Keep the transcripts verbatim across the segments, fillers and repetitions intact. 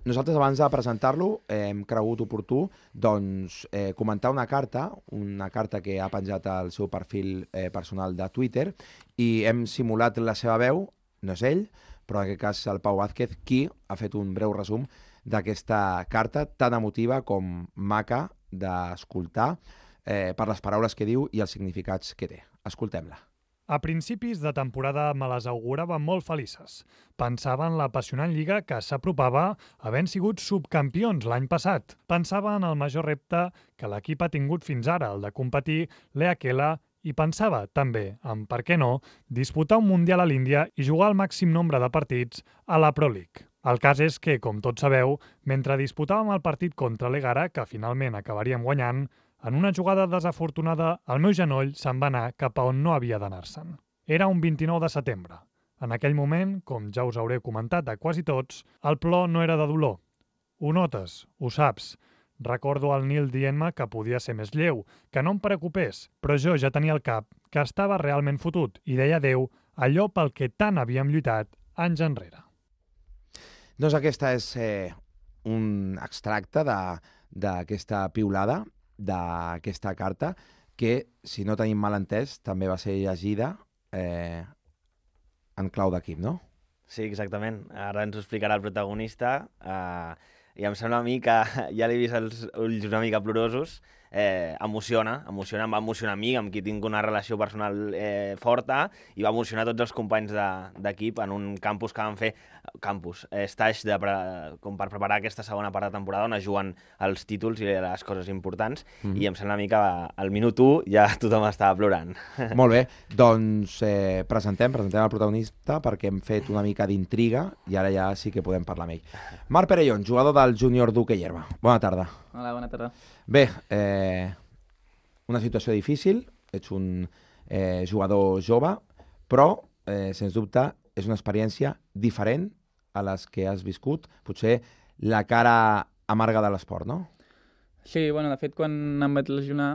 nosaltres abans de presentar-lo hem cregut oportú doncs, eh, comentar una carta, una carta que ha penjat al seu perfil eh, personal de Twitter i hem simulat la seva veu, no és ell, però en aquest cas el Pau Vázquez, qui ha fet un breu resum d'aquesta carta tan emotiva com maca d'escoltar eh, per les paraules que diu i els significats que té. Escoltem-la. A principis de temporada me les augurava molt felices. Pensava en l'apassionant lliga que s'apropava havent sigut subcampions l'any passat. Pensava en el major repte que l'equip ha tingut fins ara, el de competir l'E A Q L, i pensava també en, per què no, disputar un Mundial a l'Índia i jugar el màxim nombre de partits a la Pro League. El cas és que, com tots sabeu, mentre disputàvem el partit contra l'Egara, que finalment acabaríem guanyant, en una jugada desafortunada, el meu genoll se'n va anar cap a on no havia d'anar-se'n. Era un vint-i-nou de setembre. En aquell moment, com ja us hauré comentat a quasi tots, el plor no era de dolor. Ho notes, ho saps. Recordo el Nil dient-me que podia ser més lleu, que no em preocupés, però jo ja tenia al cap que estava realment fotut i deia adéu allò pel que tant havíem lluitat anys enrere. Doncs aquesta és eh, un extracte d'aquesta piulada, d'aquesta carta, que, si no tenim mal entès, també va ser llegida eh, en clau d'equip, no? Sí, exactament. Ara ens ho explicarà el protagonista eh, i em sembla a mi que ja l'he vist els ulls una mica plorosos. Eh, emociona, emociona, em va emocionar a mi, amb qui tinc una relació personal eh, forta, i va emocionar tots els companys d'equip de, en un campus que van fer, campus, eh, stage de, com per preparar aquesta segona part de temporada on es juguen els títols i les coses importants, mm-hmm. i em sembla a mi que al minut u ja tothom estava plorant. Molt bé, doncs eh, presentem, presentem el protagonista perquè hem fet una mica d'intriga i ara ja sí que podem parlar amb ell. Marc Perellón, jugador del júnior d'Hoquei Herba. Bona tarda. Hola, bona tarda. Bé, eh, una situació difícil, ets un eh, jugador jove, però, eh, sens dubte, és una experiència diferent a les que has viscut, potser la cara amarga de l'esport, no? Sí, bueno, de fet, quan em vaig lesionar,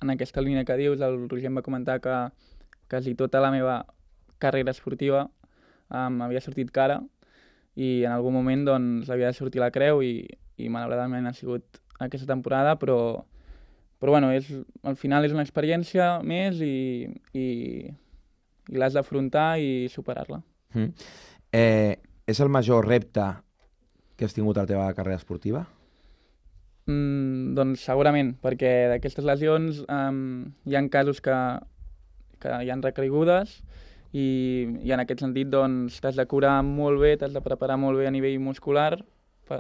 en aquesta línia que dius, el Roger em va comentar que quasi tota la meva carrera esportiva um, havia sortit cara i en algun moment doncs, havia de sortir la creu i, i malauradament ha sigut aquesta temporada, però, però bueno, és, al final és una experiència més i, i, i l'has d'afrontar i superar-la. Mm. Eh, és el major repte que has tingut a la teva carrera esportiva? Mm, doncs segurament, perquè d'aquestes lesions um, hi ha casos que, que hi han recaigudes i, i en aquest sentit doncs, t'has de curar molt bé, t'has de preparar molt bé a nivell muscular,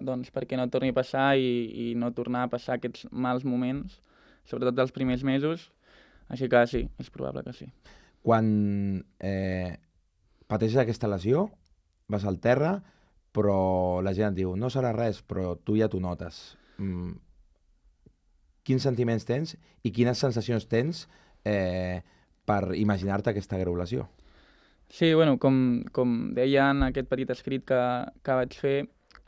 doncs perquè no torni a passar i, i no tornar a passar aquests mals moments, sobretot dels primers mesos, així que sí, és probable que sí. Quan eh, pateixes aquesta lesió, vas al terra, però la gent et diu, no serà res, però tu ja t'ho notes. Mm. Quins sentiments tens i quines sensacions tens eh, per imaginar-te aquesta greu lesió? Sí, bueno, com, com deia en aquest petit escrit que, que vaig fer,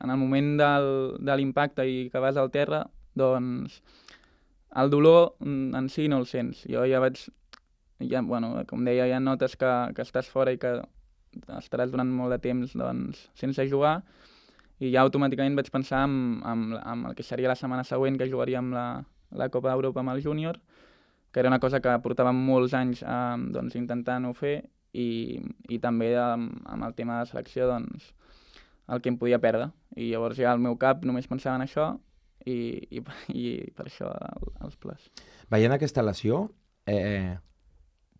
en el moment del, de l'impacte i que vas al terra, doncs el dolor en si no el sents. Jo ja vaig, ja, bueno, com deia, ja notes que, que estàs fora i que estaràs durant molt de temps doncs, sense jugar, i ja automàticament vaig pensar en, en, en el que seria la setmana següent que jugaríem la, la Copa d'Europa amb el júnior, que era una cosa que portàvem molts anys eh, doncs, intentant-ho fer, i, i també amb, amb el tema de selecció, doncs, el que em podia perdre. I llavors ja al meu cap només pensava en això i, i, i per això el, els plors. Veient aquesta lesió, eh,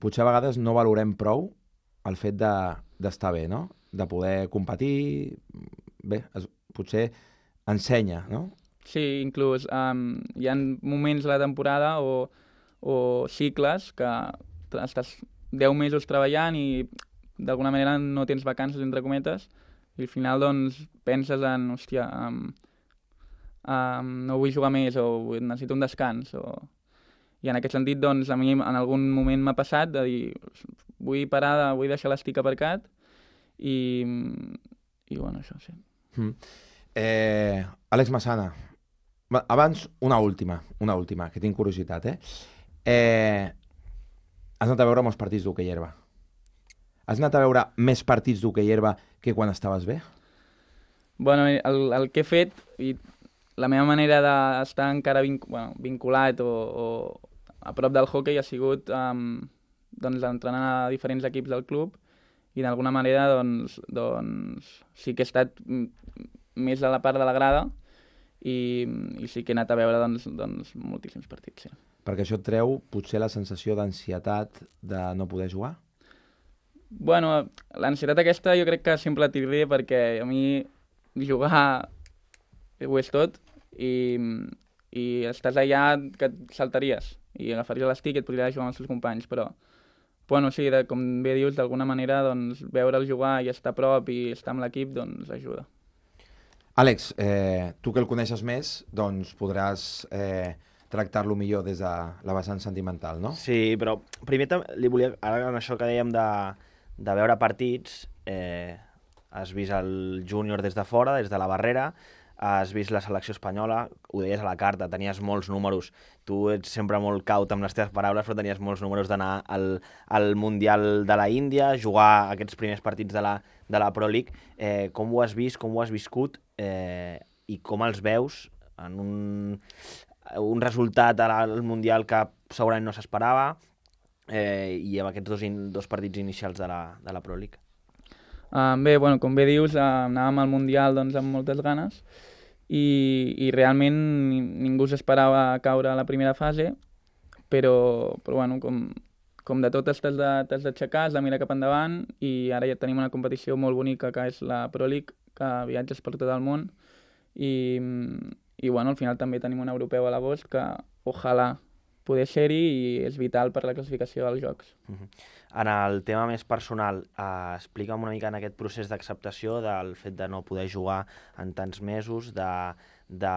potser a vegades no valorem prou el fet d'estar de, bé, no? De poder competir, bé, es, potser ensenya, no? Sí, inclús um, hi ha moments de la temporada o, o cicles que estàs deu mesos treballant i d'alguna manera no tens vacances, entre cometes, i al final doncs penses en, hòstia, um, um, no vull jugar més o necessito un descans. O... I en aquest sentit, doncs, a mi en algun moment m'ha passat de dir vull parar, de, vull deixar l'estic aparcat i, i bueno, això sí. Mm. Eh, Àlex Massana, abans una última, una última, que tinc curiositat, eh? eh has anat a veure molts partits d'Hoquei Herba. Has anat a veure més partits d'Hoquei Herba que quan estaves bé? Bueno, el, el que he fet, i la meva manera d'estar encara vinc, bueno, vinculat o, o a prop del hoquei ha sigut um, doncs, entrenar a diferents equips del club i d'alguna manera doncs, doncs, sí que he estat més a la part de la grada i, i sí que he anat a veure doncs, doncs, moltíssims partits. Sí. Perquè això et treu potser la sensació d'ansietat de no poder jugar? Bueno, l'ansietat aquesta jo crec que sempre la tindré perquè a mi jugar ho és tot i, i estàs allà que et saltaries i agafaries l'estic i et podries jugar amb els teus companys, però bueno, sí, de, com bé dius, d'alguna manera doncs, veure'l jugar i estar a prop i estar amb l'equip doncs, ajuda. Àlex, eh, tu que el coneixes més, doncs podràs eh, tractar-lo millor des de la vessant sentimental, no? Sí, però primer li volia, ara en això que dèiem de, de veure partits, eh, has vist el júnior des de fora, des de la barrera, has vist la selecció espanyola, ho deies a la carta, tenies molts números, tu ets sempre molt caut amb les teves paraules, però tenies molts números d'anar al, al Mundial de la Índia, jugar aquests primers partits de la, de la Pro League. Eh, com ho has vist, com ho has viscut eh, i com els veus en un, un resultat al Mundial que segurament no s'esperava eh, i amb aquests dos, in, dos partits inicials de la, de la Pro League? Uh, bé, bueno, com bé dius, uh, anàvem al Mundial doncs, amb moltes ganes i, i realment ningú s'esperava caure a la primera fase, però, però bueno, com, com de tot t'has d'aixecar, has de mirar cap endavant i ara ja tenim una competició molt bonica que és la Pro League, que viatges per tot el món i, i bueno, al final també tenim un europeu a l'agost que ojalà poder ser-hi i és vital per la classificació dels Jocs. Uh-huh. En el tema més personal, eh, explica'm una mica en aquest procés d'acceptació del fet de no poder jugar en tants mesos, de, de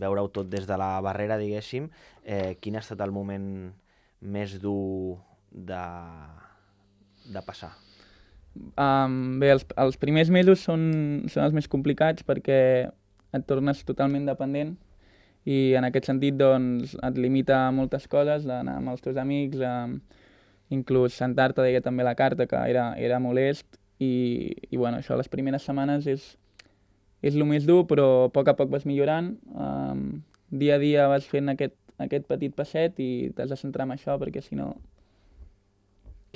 veure-ho tot des de la barrera, diguéssim. Eh, quin ha estat el moment més dur de, de passar? Um, bé, els, els primers mesos són, són els més complicats perquè et tornes totalment dependent i en aquest sentit doncs, et limita moltes coses, d'anar amb els teus amics, um, inclús sentar-te, deia també la carta, que era, era molest i, i bueno, això les primeres setmanes és, és el més dur, però a poc a poc vas millorant. Um, dia a dia vas fent aquest, aquest petit passet i t'has de centrar en això perquè si no...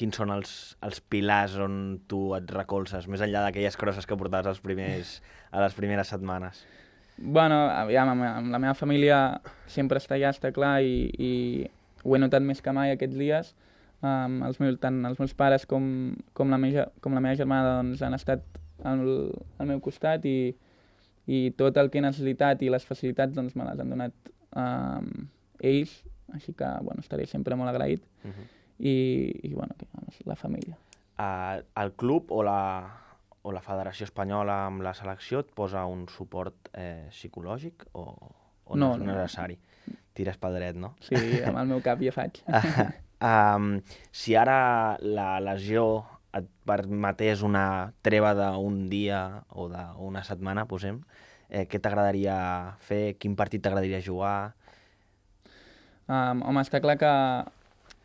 Quins són els, els pilars on tu et recolzes, més enllà d'aquelles crosses que portaves als primers, a les primeres setmanes? Bueno, aviam, amb, amb la meva família sempre està allà, està clar, i, i ho he notat més que mai aquests dies. Um, els meus, tant els meus pares com, com, la, meva, com la meva germana doncs, han estat al, al meu costat i, i tot el que he necessitat i les facilitats doncs, me les han donat um, ells, així que bueno, estaré sempre molt agraït. Uh-huh. I, i bueno, la família. Uh, el club o la, o la Federació Espanyola amb la selecció et posa un suport eh, psicològic o, o no, no és necessari? No. Tires pel dret, no? Sí, amb el meu cap ja faig. Um, si ara la lesió et permetés una treva d'un dia o d'una setmana, posem, eh, què t'agradaria fer? Quin partit t'agradaria jugar? Um, home, està clar que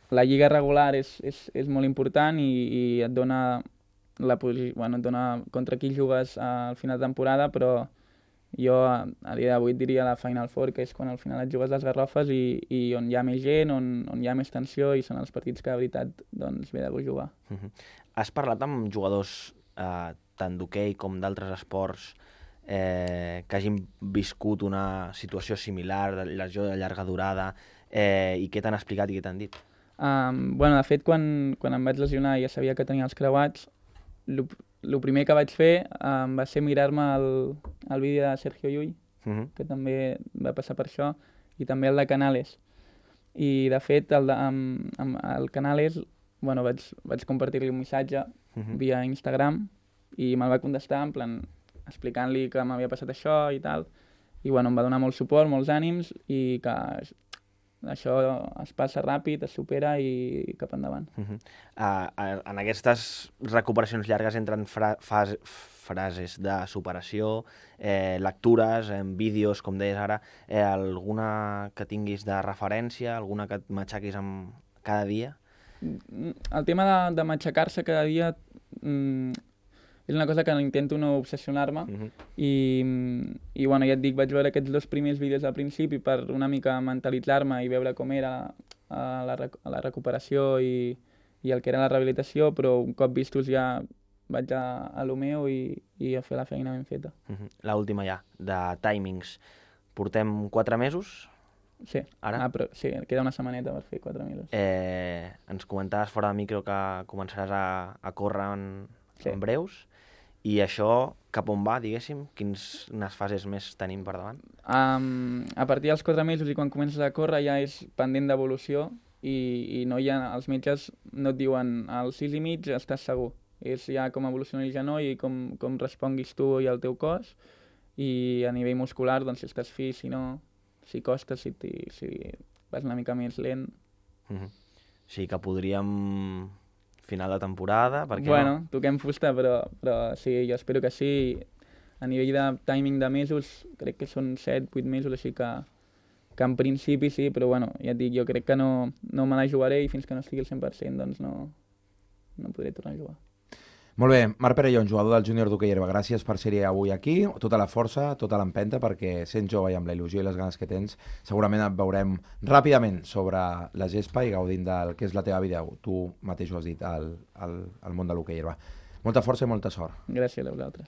la lliga regular és, és, és molt important i, i et dona, la, bueno, et dona contra qui jugues al final de temporada, però jo a, a dia d'avui diria la Final Four, que és quan al final et jugues les garrofes i, i on hi ha més gent, on, on hi ha més tensió i són els partits que de veritat doncs, ve de gust jugar. Uh-huh. Has parlat amb jugadors eh, tant d'hoquei com d'altres esports eh, que hagin viscut una situació similar, de lesió de llarga durada, eh, i què t'han explicat i què t'han dit? Um, bueno, de fet, quan, quan em vaig lesionar i ja sabia que tenia els creuats, el primer que vaig fer um, va ser mirar-me el, el vídeo de Sergio Llull, uh-huh. que també va passar per això, i també el de Canales. I, de fet, el, de, amb, amb el Canales bueno, vaig, vaig compartir-li un missatge uh-huh. via Instagram i me'l va contestar en plan explicant-li que m'havia passat això i tal. I bueno, em va donar molt suport, molts ànims i que això es passa ràpid, es supera i cap endavant. Uh-huh. uh, en aquestes recuperacions llargues entren fra fase, frases de superació, eh, lectures, eh, vídeos, com deies ara, eh, alguna que tinguis de referència, alguna que et matxaquis amb cada dia? El tema de, de matxacar-se cada dia, mm, és una cosa que intento no obsessionar-me, Uh -huh. i, i bueno, ja et dic, vaig veure aquests dos primers vídeos al principi per una mica mentalitzar-me i veure com era a la, rec a la recuperació i, i el que era la rehabilitació, però un cop vistos ja vaig a, a lo meu i, i a fer la feina ben feta. Uh -huh. L'última ja, de timings. Portem quatre mesos? Sí, Ara? Ah, però sí, queda una setmaneta per fer quatre mesos. Eh, ens comentaves fora de micro que començaràs a, a córrer en, Sí. en breus, i això cap on va, diguéssim? Quines fases més tenim per davant? Um, a partir dels quatre mesos i quan comences a córrer ja és pendent d'evolució i, i no hi ha, els metges no et diuen als sis i mig estàs segur. És ja com evoluciona el genoll i com, com responguis tu i el teu cos, i a nivell muscular, doncs si estàs fi, si no, si costes, si, si vas una mica més lent. Uh -huh. O sigui que podríem final de temporada, perquè Bueno, no? toquem fusta, però, però sí, jo espero que sí. A nivell de timing de mesos, crec que són set vuit mesos, així que, que en principi sí, però bueno, ja et dic, jo crec que no, no me la jugaré i fins que no estigui al cent per cent doncs no, no podré tornar a jugar. Molt bé, Marc Perellón, jugador del júnior d'hoquei herba, gràcies per ser-hi avui aquí, tota la força, tota l'empenta, perquè sent jove i amb la il·lusió i les ganes que tens, segurament et veurem ràpidament sobre la gespa i gaudint del que és la teva vida, tu mateix ho has dit, al, al, al món de l'hoquei herba. Molta força i molta sort. Gràcies a vosaltres.